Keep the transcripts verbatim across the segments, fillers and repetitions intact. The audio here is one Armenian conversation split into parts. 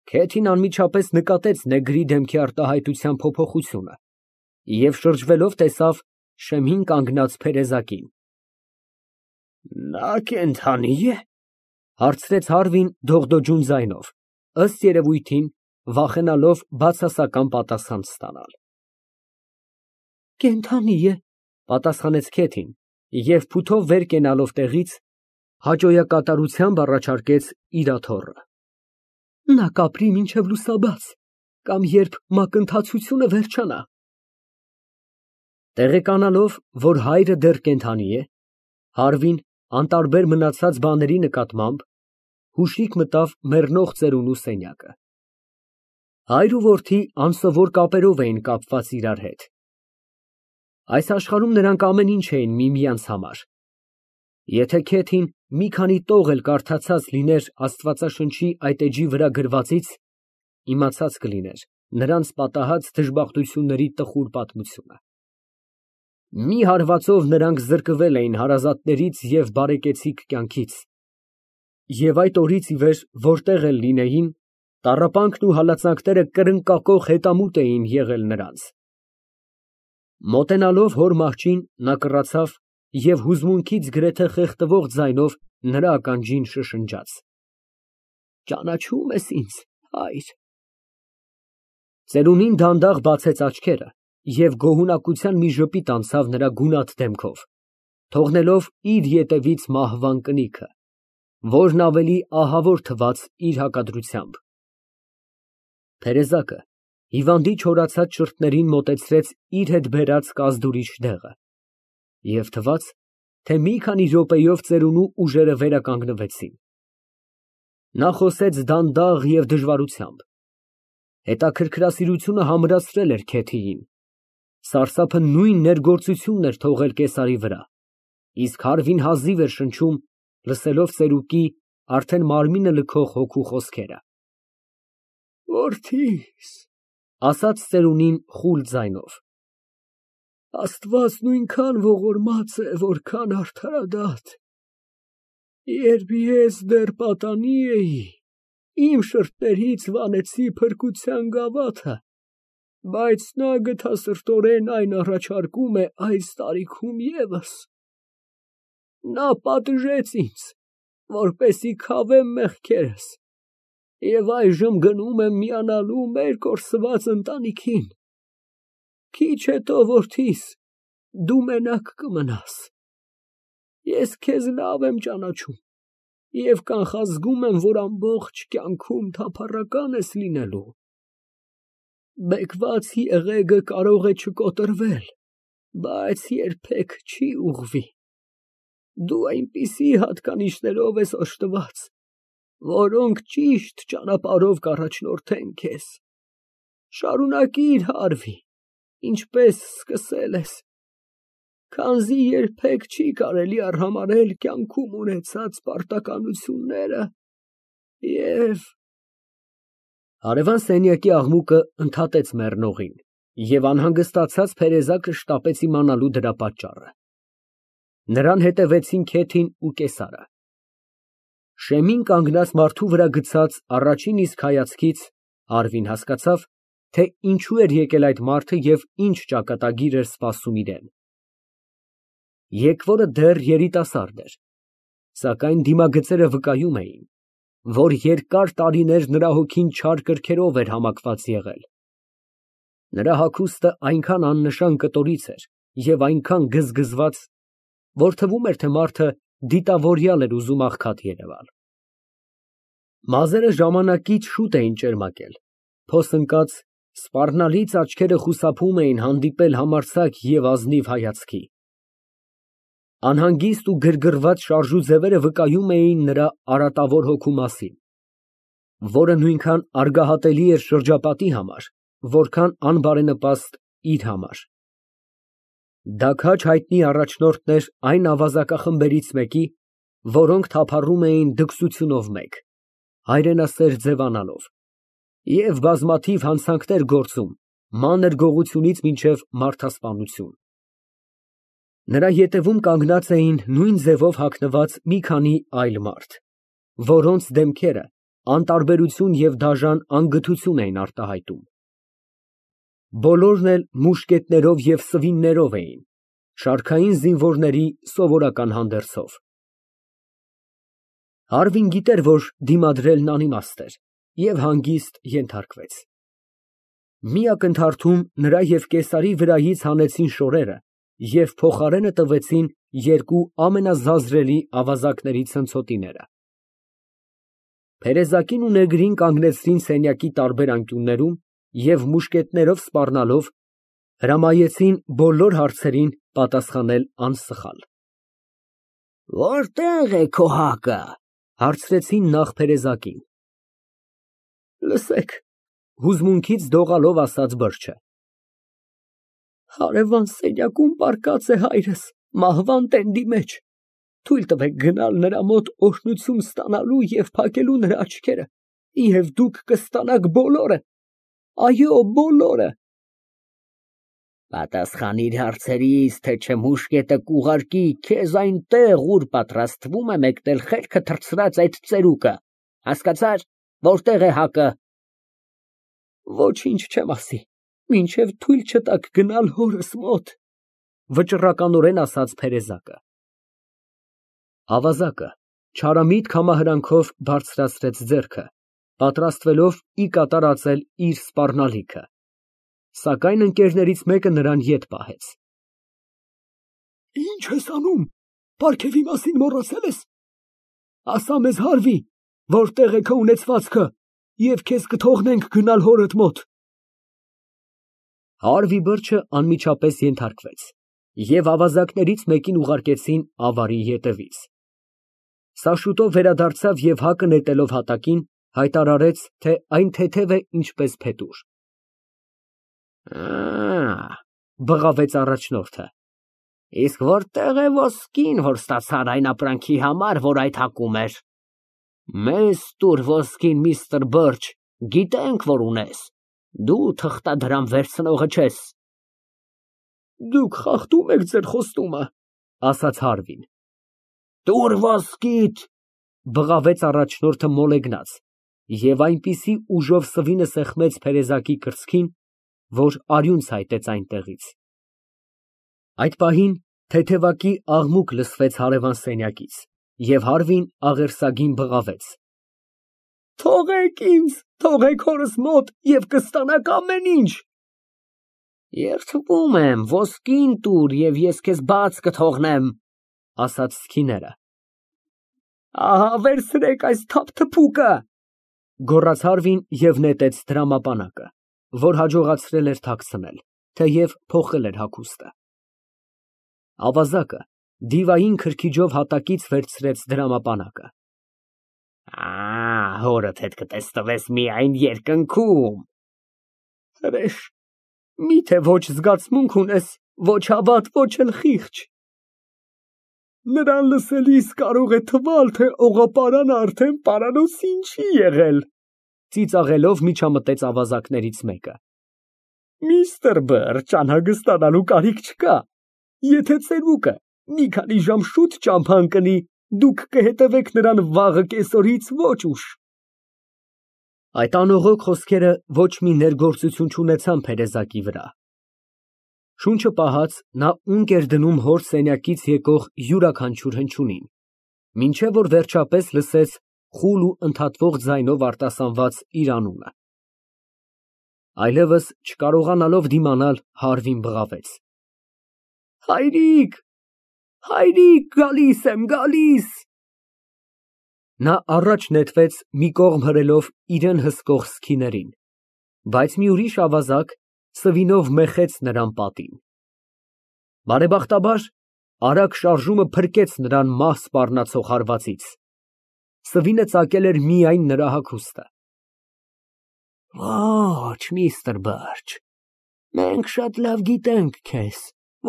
Քեթին անմիջապես նկատեց նեգրի դեմքի արտահայտության փոփոխությունը և շրջվելով, տեսավ շեմին կանգնած փերեզակին։ Նա կենդանի է, հարցրեց Հարվին դողդոջուն ձայնով, ըստ երևույթին, վախենալով բացասական պատասխան ստանալ։ Կենդանի է, պատասխանեց Քեթին և փութով վեր կենալով տեղից, հաճոյակատարությամբ առաջարկեց իր աթոռը։ Նա կապրի մինչև լուսաբաց, կամ երբ մակընթացությունը վերջանա։ Տեղեկանալով, որ հայրը դեռ կենդանի է, Հարվին անտարբեր մնացած բաների նկատմամբ հուշիկ մտավ մեռնող ծերունու սենյակը։ Հայր ու որդի անսովոր կապերով էին կապված իրար հետ։ Այս աշխարհում նրանք ամեն ինչ էին միմյանց համար։ Եթե Քեթին մի քանի տող էլ կարդացած լիներ Աստվածաշնչի այդ էջի վրա գրվածից, իմացած կլիներ նրանց պատահած դժբախտությունների տխուր պատմությունը։ Մի հարվածով նրանք զրկվել էին հարազատներից և բարեկեցիկ կյանքից, և այդ օրից ի վեր որտեղ էլ լինեին, տառապանքն ու հալածանքները կրնկակող հետամուտ էին եղել նրանց։ Մոտենալով հոր մահճին, նա կռացավ և հուզմունքից գրեթե խեղդվող ձայնով նրա ականջին շշնջաց. Ճանաչո՞ւմ ես ինձ, հայր։ Ծերունին դանդաղ բացեց աչքերը և գոհունակության մի ժպիտ անցավ նրա գունատ դեմքով, թողնելով իր ետևից մահվան կնիքը, որն ավելի ահավոր թվաց իր հակադրությամբ։ Տերեզակը հիվանդի չորացած շրթերին մոտեցրեց իր հետ բերած կազդուրիչ դեղը, և թվաց, թե մի քանի րոպեով ծերունու ուժերը վերականգնվեցին։ Նա խոսեց դանդաղ և դժվարությամբ։ Հետաքրքրասիրությունը համրացրել էր Քեթիին, սարսափը նույն ներգործությունն էր թողել կեսարի վրա, իսկ Հարվին հազիվ էր շնչում, լսելով ծերուկի արդեն մարմինը լքող հոգու խոսքերը։ Որդիս, ասաց ծերունին խուլ ձայնով, Աստված նույնքան ողորմած է, որքան արդարադատ։ Երբ ես դեռ պատանի էի, իմ շրթերից վանեցի փրկության գավաթը, բայց նա գթասրտորեն այն առաջարկում է այս տարիքում ևս։ Նա պատժեց ինձ, որպեսզի քավեմ մեղքերս, և այժմ գնում եմ միանալու մեր կորսված ընտանիքին։ Քիչ հետո, որդիս, դու մենակ կմնաս։ Ես քեզ լավ եմ ճանաչում և կանխազգում եմ, որ ամբողջ կյանքում թափառական ես լինելու։ Բեկված եղեգը կարող է չկոտրվել, բայց երբեք չի ուղղվի։ Դու այնպիսի հատկանիշներով ես օժտված, որոնք ճիշտ ճանապարհով կառաջնորդեն քեզ։ Շարունակիր, Հարվի, ինչպես սկսել ես, քանզի երբեք չի կարելի արհամարհել կյանքում ունեցած պարտականությունները և… Հարևան սենյակի աղմուկը ընդհատեց մեռնողին, և անհանգստացած Թերեզակը շտապեց իմանալու դրա պատճառը։ Նրան հետևեցին Քեթին ու կեսարը։ Շեմին կանգնած մարդու վրա գցած առաջին իսկ հայացքից Հարվին հասկացավ, թե ինչու էր եկել այդ մարդը և ինչ ճակատագիր էր սպասում իրան։ Եկվորը դեռ երիտասարդ էր, սակայն դիմագծերը վկայում էին, որ երկար տարիներ նրա հոգին չար կրքերով էր համակված եղել։ Նրա հագուստը այնքան աննշան կտորից էր և այնքան գզգզված, որ թվում էր, թե մարդը դիտավորյալ էր ուզում աղքատ երևալ։ Մազերը ժամանակից շուտ էին ճերմակել, փոս ընկած, սպառնալից աչքերը խուսափում էին հանդիպել համարձակ և ազնիվ հայացքի։ Անհանգիստ ու գրգռված շարժուձևերը վկայում էին նրա արատավոր հոգու մասին, որը նույնքան արգահատելի էր շրջապատի համար, որքան անբարենպաստ իր համար։ Դա քաջ հայտնի առաջնորդն էր այն ավազակախմբերից մեկի, որոնք թափառում էին դքսությունով մեկ, հայրենասեր ձևանալով, և բազմաթիվ հանցանքներ գործում մանր գողությունից մինչև մարդասպանություն։ Նրա ետևում կանգնած էին նույն ձևով հագնված մի քանի այլ մարդ, որոնց դեմքերը անտարբերություն և դաժան անգթություն էին արտահայտում։ Բոլորն էլ մուշկետներով և սվիններով էին, շարքային զինվորների սովորական հանդերձով։ Հարվին գիտեր, որ դիմադրելն անիմաստ էր, և հանգիստ ենթարկվեց։ Մի ակնթարթում նրա և կեսարի վրայից հանեցին շորերը և փոխարենը տվեցին երկու ամենազազրելի ավազակների ցնցոտիները։ Փերեզակին ու նեգրին կանգնեցրին սենյակի տարբեր անկյուններում և մուշկետներով սպառնալով հրամայեցին բոլոր հարցերին պատասխանել անսխալ։ «Որտե՞ղ է քո հակը, ֊ հարցրեցին նախ փերեզակին։ ֊ Լսեք, ֊ հուզմունքից դողալով ասաց բրդը։ ֊ Հարևան սենյակում պառկած է հայրս մահվան տենդի մեջ, թույլ տվեք գնալ նրա մոտ օրհնություն ստանալու և փակելու նրա աչքերը, և դուք կստանաք բոլորը, այո, բոլորը։ Պատասխանիր հարցերիս, թե չէ մուշկետը կուղարկի քեզ այնտեղ, ուր պատրաստվում է մեկնել խելքը թռցրած այդ ծերուկը, հասկացա՞ր, որտե՞ղ է հակը։ Ոչինչ չեմ ասի, մինչև թույլ չտաք գնալ հորս մոտ, ֊ վճռականորեն ասաց փերեզակը։ Ավազակը չարամիտ կամահրանքով բարձրացրեց ձեռքը, պատրաստվելով ի կատար ածել իր սպառնալիքը, սակայն ընկերներից մեկը նրան ետ պահեց։ Ի՞նչ ես անում, պարգևի մասին մոռացել ես։ Ասա մեզ, Հարվի, որտե՞ղ է քո ունեցվածքը, և քեզ կթողնենք գնալ հորդ մոտ։ Հարվի բրջը անմիջապես ենթարկվեց, և ավազակներից մեկին ուղարկեցին ավարի ետևից։ Սա շուտով վերադարձավ և հակը նետելով հատակին, հայտարարեց, թե այն թեթև է, ինչպես փետուր։ Ա, բղավեց առաջնորդը, իսկ որտե՞ղ է ոսկին, որ ստացար այն ապրանքի համար, որ այդ հակում էր։ Մեզ տուր ոսկին, միստր Բըրջ, գիտենք, որ ունես, դու թղթադրամ վերցնողը չես։ Դուք խախտում եք ձեր խոստումը, ասաց Հարվին։ Տուր ոսկիդ, բղավեց առաջնորդը մոլեգնած, և այնպիսի ուժով սվինը սեղմեց փերեզակի կրծքին, որ արյուն ցայտեց այնտեղից։ Այդ պահին թեթևակի աղմուկ լսվեց հարևան սենյակից, և Հարվին աղերսագին բղավեց. Թողեք ինձ, թողեք հորս մոտ և կստանաք ամեն ինչ։ Երդվում եմ, ոսկին տուր, և ես քեզ բաց կթողնեմ, ասաց սքիները։ Ահա վերցրեք այս թափթփուկը, գոռաց Հարվին և նետեց դրամապանակը, որ հաջողացրել էր թաքցնել, թեև փոխել էր հագուստը։ Ավազակը դիվային քրքիջով հատակից վերցրեց դրամապանակը։ Ա, հորդ հետ կտեսնվես միայն երկնքում։ Հրեշ, միթե ոչ զգացմունք ունես, ոչ հավատ, ոչ էլ խիղճ։ Նրան լսելիս կարող է թվալ, թե օղապարանը արդեն պարանոցին չի եղել, ծիծաղելով միջամտեց ավազակներից մեկը։ Միստր Բըրջ, անհանգստանալու կարիք չկա, եթե ծերուկը մի քանի ժամ շուտ ճամփան կնի, դուք կհետևեք նրան վաղը կեսօրից ոչ ուշ։ Այդ անողոք խոսքերը ոչ մի ներգործություն չունեցան փերեզակի վրա։ Շունչը պահած, նա ունկ էր դնում հոր սենյակից եկող յուրաքանչյուր հնչյունին, մինչև որ վերջապես լսեց խուլ ու ընդհատվող ձայնով արտասանված իր անունը։ Այլևս չկարողանալով դիմանալ, Հարվին բղավեց. Հայրիկ, հայրիկ, գալիս եմ, գալիս։ Նա առաջ նետվեց, մի կողմ հրելով իրան հսկող սքիներին, բայց մի ուրիշ ավազակ սվինով մեխեց նրան պատին։ Բարեբախտաբար, արագ շարժումը փրկեց նրան մահ սպառնացող հարվածից, սվինը ծակել էր միայն նրա հագուստը։ Ոչ, միստր Բըրջ, մենք շատ լավ գիտենք քեզ,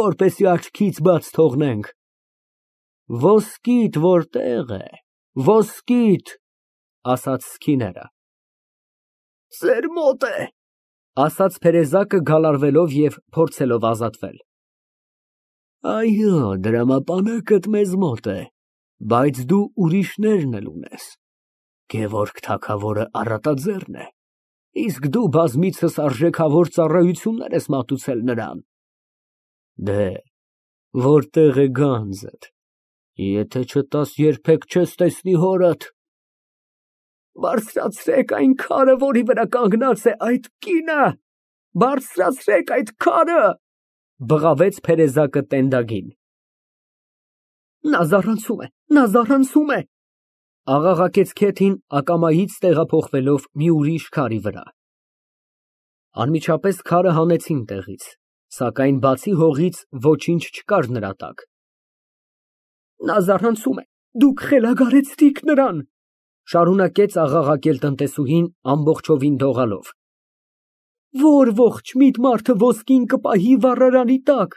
որպեսզի աչքից բաց թողնենք։ Ոսկիդ որտե՞ղ է, ոսկիդ, ասաց սքիները։ Ձեր մոտ է, ասաց փերեզակը գալարվելով և փորձելով ազատվել։ Այո, դրամապանակդ մեզ մոտ է, բայց դու ուրիշներն էլ ունես։ Գևորգ թագավորը առատաձեռն է, իսկ դու բազմիցս արժեքավոր ծառայություններ ես մատուցել նրան։ Դե, որտե՞ղ է գանձդ, եթե չտաս, երբեք չես տեսնի հորդ։ Բարձրացրեք այն քարը, որի վրա կանգնած է այդ կինը, բարձրացրեք այդ քարը, բղավեց փերեզակը տենդագին։ Նա զառանցում է, նա զառանցում է, աղաղակեց Քեթին ակամայից տեղափոխվելով մի ուրիշ քարի վրա։ Անմիջապես քարը հանեցին տեղից, սակայն բացի հողից ոչինչ չկար նրա տակ։ Նա զառանցում է, դուք խելագարեցրիք նրան, շարունակեց աղաղակել տնտեսուհին ամբողջովին դողալով։ Որ ողջ միտ մարդը ոսկին կպահի վառարանի տակ։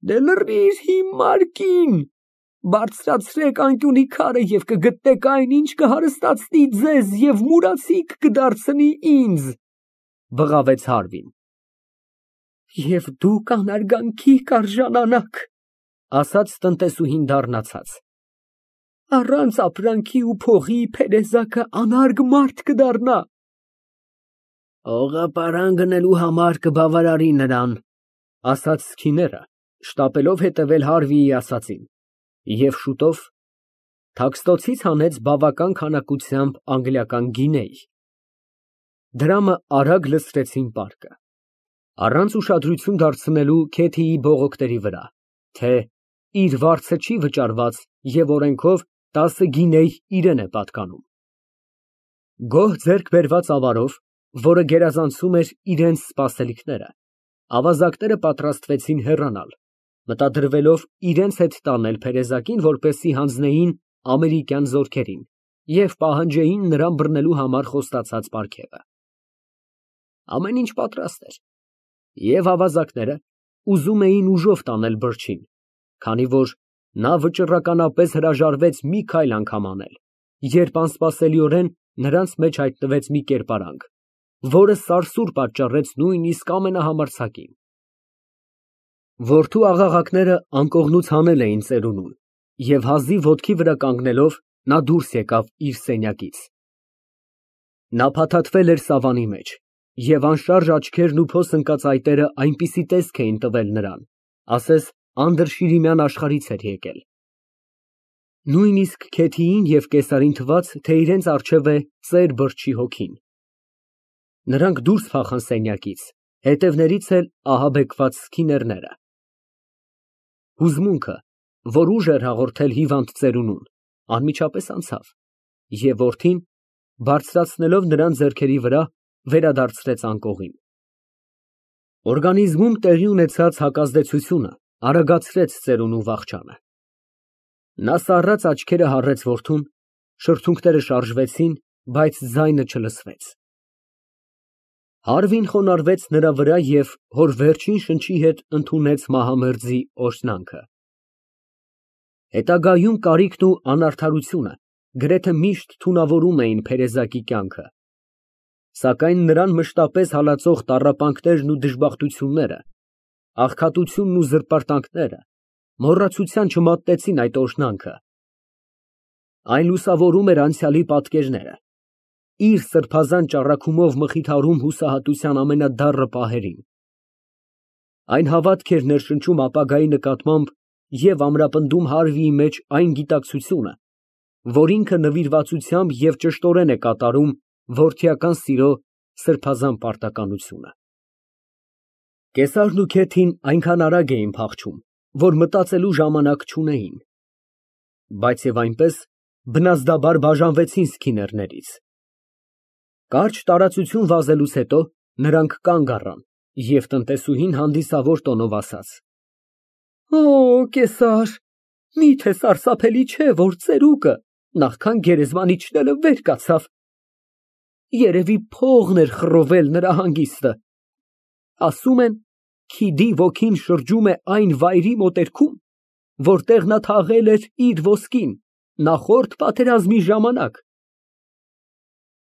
Դե լռիր հիմար կին, բարձրացրեք անկյունի քարը և կգտնեք այն, ինչ կհարստացնի ձեզ և մուրացիկ կդարձնի ինձ, բղավեց Հարվին։ Եվ դուք անարգանքի կարժանանաք, ասաց տնտեսուհին դառնացած։ Առանց ապրանքի ու փողի փերեզակը անարգ մարդ կդառնա։ Օղը պարան գնելու համար կբավարարի նրան, ասաց քիները, շտապելով հետևել Հարվիի ասածին, և շուտով թաքստոցից հանեց բավական քանակությամբ անգլիական գինեյ։ Դրամը արագ լցրեցին պարկը, առանց ուշադրություն դարձնելու Քեթիի բողոքների վրա, թե իր վարձը չի վճարված և օրենքով տասը գինեյ իրեն է պատկանում։ Գոհ ձեռք բերված ավարով, որը գերազանցում էր իրենց սպասելիքները, ավազակները պատրաստվեցին հեռանալ, մտադրվելով իրենց հետ տանել փերեզակին, որպեսզի հանձնեին ամերիկյան զորքերին և պահանջեին նրան բռնելու համար խոստացած պարգևը։ Ամեն ինչ պատրաստ էր, և ավազակները ուզում էին ուժով տանել բրջին, քանի որ նա վճռականապես հրաժարվեց մի քայլ անգամ անել, երբ անսպասելիորեն նրանց մեջ հայտնվեց մի կերպարանք, որը սարսուռ պատճառեց նույնիսկ ամենահամարձակին։ Որդու աղաղակները անկողնուց հանել էին ծերունուն, և հազիվ ոտքի վրա կանգնելով նա դուրս եկավ իր սենյակից։ Նա փաթաթվել էր սավանի մեջ, և անշարժ աչքերն ու փոս ընկած այտերը այնպիսի տեսք էին տվել նրան, ասես անդրշիրիմյան աշխարհից էր եկել։ Նույնիսկ Քեթիին և կեսարին թվաց, թե իրենց առջև է ծեր բրջի հոգին։ Նրանք դուրս փախան սենյակից, հետևներից էլ ահաբեկված քիներները։ Հուզմունքը, որ ուժ էր հաղորդել հիվանդ ծերունուն, անմիջապես անցավ, և որդին, բարձրացնելով նրան ձեռքերի վրա, վերադարձրեց անկողին։ Օրգանիզմում տեղի ունեցած հակազդեցությունը արագացրեց ծերունու վախճանը։ Նա սառած աչքերը հառեց որդուն, շրթունքները շարժվեցին, բայց ձայնը չլսվեց։ Հարվին խոնարհվեց նրա վրա և հոր վերջին շնչի հետ ընդունեց մահամերձի օրհնանքը։ Հետագայում կարիքն ու անարդարությունը գրեթե միշտ թունավորում էին փերեզակի կյանքը, սակայն նրան մշտապես հալածող տառապանքներն ու դժբախտությունները, աղքատությունն ու զրպարտանքները մոռացության չմատնեցին այդ օրհնանքը։ Այն լուսավորում էր անցյալի պատկերները, իր սրբազան ճառագումով մխիթարում հուսահատության ամենադառը պահերին։ Այն հավատք էր ներշնչում ապագայի նկատմամբ և ամրապնդում Հարվիի մեջ այն գիտակցությունը, որ ինքը նվիրվածությամբ և ճշտորեն է կատարում որդիական սիրո սրբազան պարտականությունը։ Կեսարն ու Քեթին այնքան արագ էին փախչում, որ մտածելու ժամանակ չունեին, բայց և այնպես բնազդաբար բաժանվեցին սքիներներից։ Կարճ տարածություն վազելուց հետո նրանք կանգ առան, և տնտեսուհին հանդիսավոր տոնով ասաց. Օ, կեսար, միթե սարսափելի չէ, որ ծերուկը, նախքան գերեզման իջնելը, վեր կացավ։ Երևի փողն էր խռովել նրա հանգիստը։ Ասում են, քիդի ոգին շրջում է այն վայրի մոտերքում, որտեղ նա թաղել էր իր ոսկին նախորդ պատերազմի ժամանակ։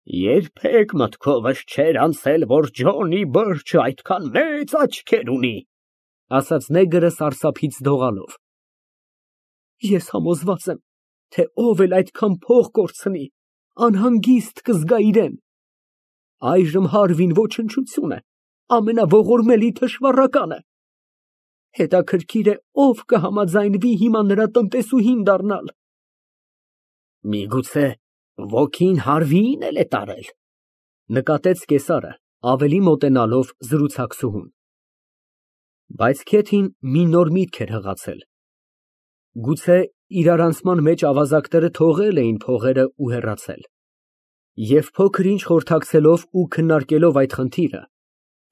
Երբեք մտքովս չէր անցել, որ Ջոնի Բըրջը այդքան մեծ աչքեր ունի, ասաց նեգրը սարսափից դողալով։ Ես համոզված եմ, թե ով էլ այդքան փող կորցնի, անհանգիստ կզգա իրան։ Այժմ Հարվին ոչնչություն է, ամենաողորմելի թշվառականը։ Հետաքրքիր է, ով կհամաձայնվի հիմա նրա տնտեսուհին դառնալ։ Միգուցե ոգին Հարվիին էլ է տարել, նկատեց կեսարը, ավելի մոտենալով զրուցակցուհուն։ Բայց Քեթին մի նոր միտք էր հղացել։ Գուցե իրարանցման մեջ ավազակները թողել էին փողերը ու հեռացել։ Եվ փոքր-ինչ խորհրդակցելով ու քննարկելով այդ խնդիրը,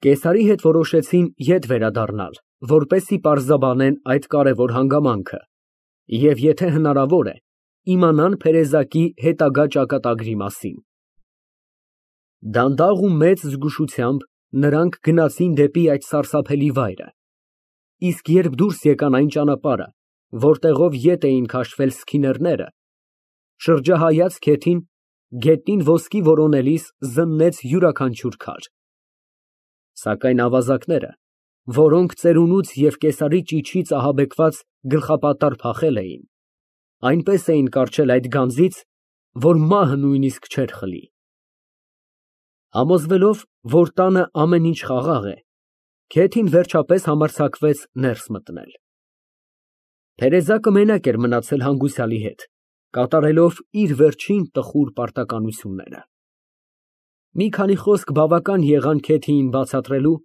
կեսարի հետ որոշեցին ետ վերադառնալ, որպեսզի պարզաբանեն այդ կարևոր հանգամանքը և, եթե հնարավոր է, իմանան փերեզակի հետագա ճակատագրի մասին։ Դանդաղ ու մեծ զգուշությամբ նրանք գնացին դեպի այդ սարսափելի վայրը, իսկ երբ դուրս եկան այն ճանապարհը, որտեղով ետ էին քաշվել սքիներները, շրջահայաց Քեթին, գետնին ոսկի որոնելիս զննեց յուրաքանչյուր քար։ Սակայն ավազակները, որոնք ծերունուց և կեսարի ճիչից ահաբեկված գլխապատառ փախել էին, այնպես էին կառչել այդ գանձից, որ մահը նույնիսկ չէր խլի։ Համոզվելով, որ տանը ամեն ինչ խաղաղ է, Քեթին վերջապես համարձակվեց ներս մտնել։ Տերեզակը մենակ էր մնացել հանգուցյալի հետ, կատարելով իր վերջին տխուր պարտականությունները։ Մի քանի խոսք բավական եղան Քեթիին բացատրելու,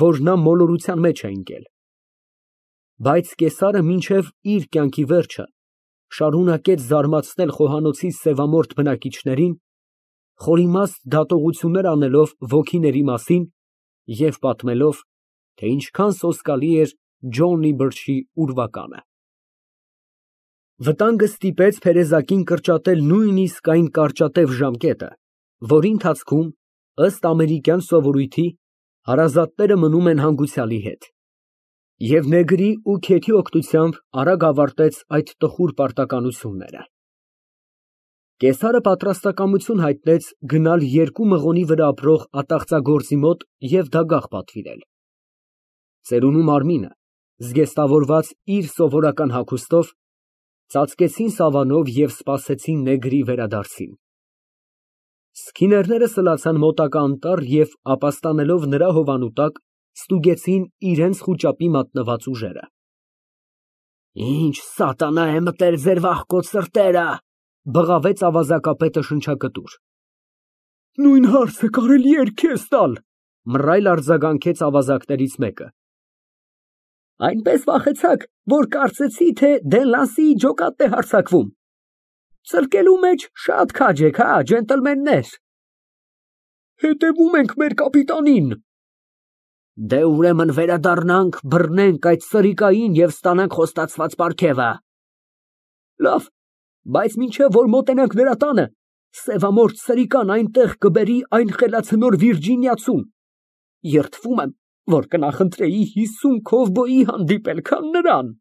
որ նա մոլորության մեջ է ընկել։ Բայց կեսարը մինչև իր կյանքի վերջը շարունակեց զարմացնել խոհանոցի սևամորթ բնակիչներին, խորիմաստ դատողություններ անելով ոգիների մասին և պատմելով, թե ինչքան սոսկալի էր Ջոնի Բրչի ուրվականը։ Վտանգը ստիպեց Փերեզակին կրճատել նույնիսկ այն կարճատև ժամկետը, որի ընթացքում, ըստ ամերիկյան սովորույթի, հարազատները մնում են հանգուցյալի հետ, և նեգրի ու Քեթի օգնությամբ արագ ավարտեց այդ տխուր պարտականությունները։ Կեսարը պատրաստակամություն հայտնեց գնալ երկու մղոնի վրա ապրող ատաղծագործի մոտ և դագաղ պատվիրել։ Ծերունու մարմինը, զգեստավորված իր սովորական հագուստով, ծածկեցին սավանով և սպասեցին նեգրի վերադարձին։ Սքիներները սլացան մոտակա անտառ և, ապաստանելով նրա հովանու տակ, ստուգեցին իրենց խուճապի մատնված ուժերը։ Ինչ սատանա է մտել ձեր վախկոտ սրտերը, բղավեց ավազակապետը շնչակտուր։ Նույն հարցը կարելի էր քեզ տալ, մռայլ արձագանքեց ավազակներից մեկը։ Այնպես վախեցաք, որ կարծեցի, թե Դենլանսիի ջոկատն է հարձակվում։ Ծլկելու մեջ շատ քաջ եք, հա, ջենտլմեններ։ Հետևում ենք մեր կապիտանին։ Դե ուրեմն վերադառնանք, բռնենք այդ սրիկային և ստանանք խոստացված պարգևը։ Լավ, բայց մինչև որ մոտենանք նրա տանը, սևամորթ սրիկան այնտեղ կբերի այն խելացնոր Վիրջինիացուն։ Երդվում եմ, որ կնախընտրեի հիսուն քովբոյի հանդիպել, քան նրան։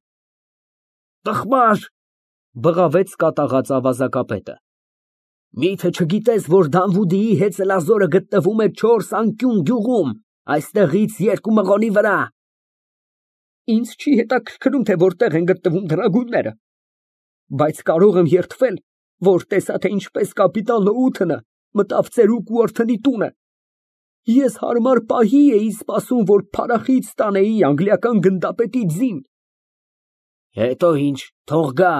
Տխմար, բղավեց կատաղած ավազակապետը։ Մի՞թե չգիտես, որ Դանվուդիի հեծելազորը գտնվում է չորս անկյուն գյուղում, այստեղից երկու մղոնի վրա։ Ինձ չի հետաքրքրում, թե որտեղ են գտնվում դրագույնները, բայց կարող եմ երդվել, որ տեսա, թե ինչպես կապիտան Լոութենը մտավ ծերուկ Ուորթոնի տունը։ Ես հարմար պահի էի սպասում, որ փարախից ստանեի անգլիական գնդապետի ձին։ Հետո ինչ, թող գա։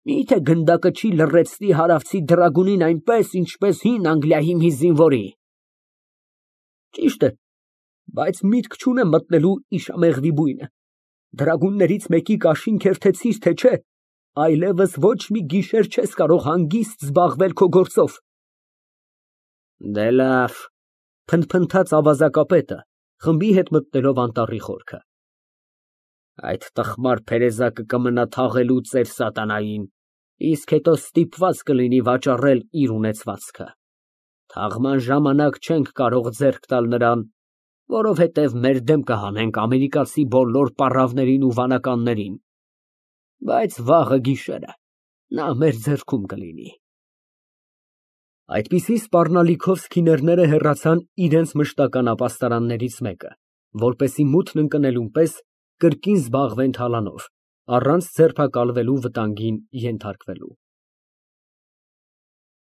Մի՞թե գնդակը չի լռեցնի հարավցի դրագունին այնպես, ինչպես հին Անգլիայի մի զինվորի։ Ճիշտ է, բայց միտք չունեմ մտնելու իշամեղվի բույնը։ Դրագուններից մեկի կաշին քերթեցիր, թե չէ, այլևս ոչ մի գիշեր չես կարող հանգիստ զբաղվել քո գործով։ Դե լավ, փնթփնթաց ավազակապետը, խմբի հետ մտնելով անտառի խորքը։ Այդ տխմար Փերեզակը կմնա թաղելու ծեր սատանային, իսկ հետո ստիպված կլինի վաճառել իր ունեցվածքը։ Թաղման ժամանակ չենք կարող ձեռք տալ նրան, որովհետև մեր դեմ կհանենք ամերիկացի բոլոր պառավներին ու վանականներին, բայց վաղը գիշերը նա մեր ձեռքում կլինի։ Այդպիսի սպառնալիքով սքիներները հեռացան իրենց մշտական ապաստարաններից մեկը, որպեսզի մութն ընկնելուն պես կրկին զբաղվեն թալանով, առանց ձերբակալվելու վտանգին ենթարկվելու։